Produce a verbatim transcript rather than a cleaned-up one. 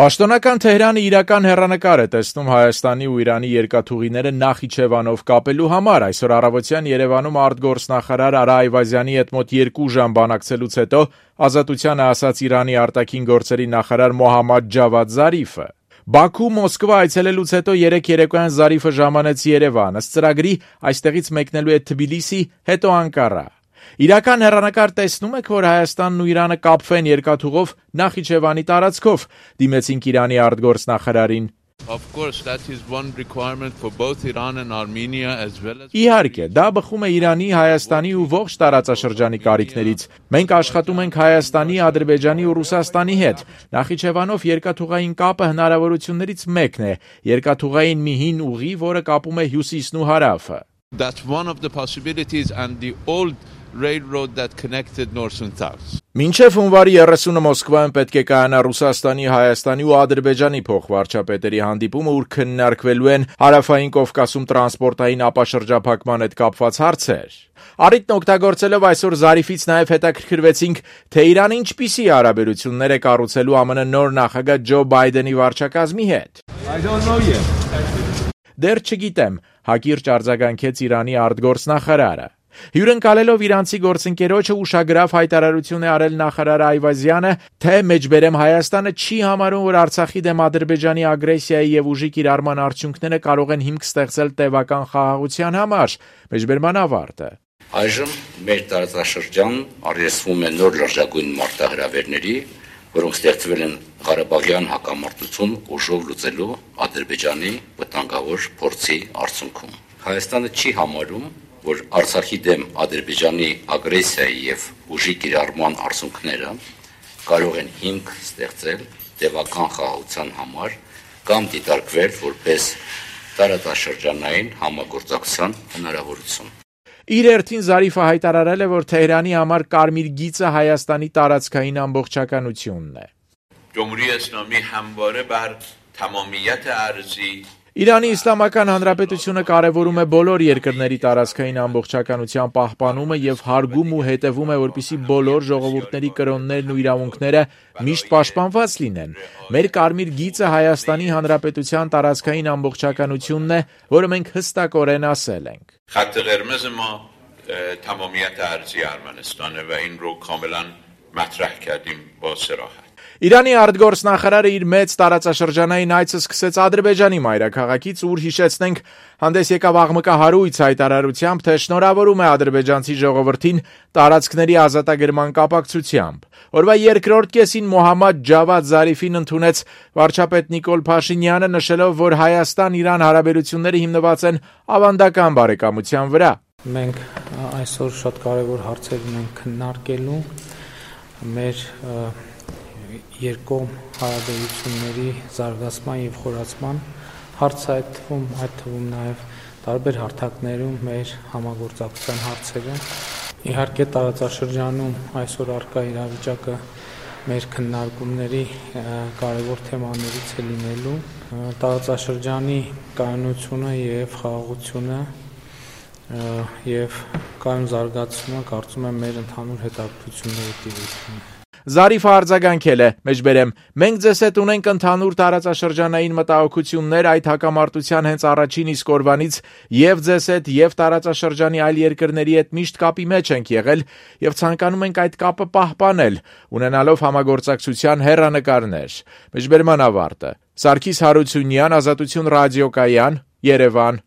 Պաշտոնական Թեհրանը իրական հեռանկար է տեսնում Հայաստանի ու Իրանի երկաթուղիները Նախիջևանով կապելու համար։ Այսօր առավոտյան Երևանում արտգործնախարար Արա Այվազյանի հետ մոտ երկու ժամ բանակցելուց հետո Ազատությանը ասաց Իրանի արտաքին գործերի նախարար Մոհամմադ Ջավադ Զարիֆը։ Բաքու Մոսկվա այցելելուց հետո երեկ երեկոյան Զարիֆը ժամանեց Երևան։ Ըստ ծրագրի այստեղից մեկնելու է Թբիլիսի, հետո Անկարա։ Իրական հեռանկար տեսնում եք, որ Հայաստանն ու Իրանը կապվեն երկաթուղով Նախիջևանի տարածքով, դիմեցինք Իրանի արտգործնախարարին։ Of course, that is one requirement for both Iran and Armenia as well as Իհարկե, դա բխում է Իրանի, Հայաստանի ու ողջ տարածաշրջանի կարիքներից։ Մենք աշխատում ենք Հայաստանի, Ադրբեջանի ու Ռուսաստանի հետ։ Նախիջևանով երկաթուղային կապը հնարավորություններից մեկն է։ Երկաթուղային մի հին ուղի, որը կապում է հյուսիսն ու հարավը։ That's one of the possibilities and the old railroad that connected north and south. Մինչև հունվարի երեսունը Մոսկվայում պետք է կայանա Ռուսաստանի, Հայաստանի ու Ադրբեջանի փոխվարչապետերի հանդիպումը, ուր քննարկվելու են Հարավային Կովկասում տրանսպորտային ապաշրջափակման հետ կապված հարցեր։ Առիթն օգտագործելով այսօր Զարիֆից նաև հետաքրքրվեցինք, թե Իրանը ինչպիսի հարաբերություններ է կառուցելու ԱՄՆ նոր նախագահ Ջո Բայդենի վարչակազմի հետ։ I don't know yet. Դեռ չգիտեմ, հակիրճ արձագանքեց Իրանի արտգործնախարարը։ Հյուրընկալելով իրանցի գործընկերոջը ուշագրավ հայտարարություն է արել նախարար Այվազյանը, թե մեջբերեմ Հայաստանը չի համարում, որ Արցախի դեմ Ադրբեջանի ագրեսիայի եւ ուժի կիրառման արդյունքները կարող են հիմք ստեղծել տևական խաղաղության համար։ Մեջբերման ավարտը։ Այժմ մեր տարածաշրջան արժեսվում է նոր լրջագույն մարտահրավերների, որոնք ստեղծվել են Ղարաբաղյան հակամարտություն ուժով լուծելու Ադրբեջանի վտանգավոր փորձի արդյունքում։ Հայաստանը չի համարում, որ Արցախի դեմ Ադրբեջանի ագրեսիայի եւ ուժի կիրառման արդյունքները կարող են հիմք ստեղծել տևական խաղաղության համար կամ դիտարկվել որպես տարածաշրջանային համագործակցության հնարավորություն։ Իր հերթին Զարիֆը հայտարարել է, որ Թեհրանի համար կարմիր գիծը Հայաստանի տարածքային ամբողջականությունն է։ جمهوری اسلامی همواره بر تمامیت ارضی Իրանի Իսլամական Հանրապետությունը կարևորում է բոլոր երկրների տարածքային ամբողջականության պահպանումը եւ հարգում ու հետևում է, որպեսզի բոլոր ժողովուրդների կրոններն ու իրավունքները միշտ պաշտպանված լինեն։ Մեր կարմիր գիծը Հայաստանի Հանրապետության տարածքային ամբողջականությունն է, որը մենք հստակորեն ասել ենք։ خط قرمز ما تمامیت ارضی ارمنستانه و این رو کاملا مطرح کردیم با صراحت Իրանի արտգործնախարարը իր մեծ տարածաշրջանային այցը սկսեց Ադրբեջանի մայրաքաղաքից, ուր հիշեցնենք հանդես եկավ աղմկահարույց հայտարարությամբ, թե շնորհավորում է ադրբեջանցի ժողովրդին տարածքների ազատագրման կապակցությամբ։ Օրվա երկրորդ կեսին Մոհամմադ Ջավադ Զարիֆին ընդունեց վարչապետ Նիկոլ Փաշինյանը, նշելով, որ Հայաստան-Իրան հարաբերությունները հիմնված են ավանդական բարեկամության վրա։ Մենք այսօր շատ կարևոր հարցեր ունենք քննարկելու մեր երկկողմ հարաբերությունների զարգացման եւ խորացման հարցը այդ թվում այդ թվում նաեւ տարբեր հարթակներում մեր համագործակցության հարցերը իհարկե տարածաշրջանում այսօր առկա իրավիճակը մեր քննարկումների կարևոր թեմաներից է լինելու տարածաշրջանի կայունությունը եւ խաղաղությունը եւ կայուն զարգացումը կարծում եմ մեր ընդհանուր հետաքրքրությունների տիրույթն է։ Զարիֆը արձագանքել է, մեջբերեմ, մենք ձեզ հետ ունենք ընդհանուր տարածաշրջանային մտահոգություններ այդ հակամարտության հենց առաջին իսկ օրվանից եւ ձեզ հետ եւ տարածաշրջանի այլ երկրների հետ միշտ կապի մեջ ենք եղել եւ ցանկանում ենք այդ կապը պահպանել, ունենալով համագործակցության հեռանկարներ։ Մեջբերման ավարտը։ Սարգիս Հարությունյան, Ազատություն ռադիոկայան, Երևան։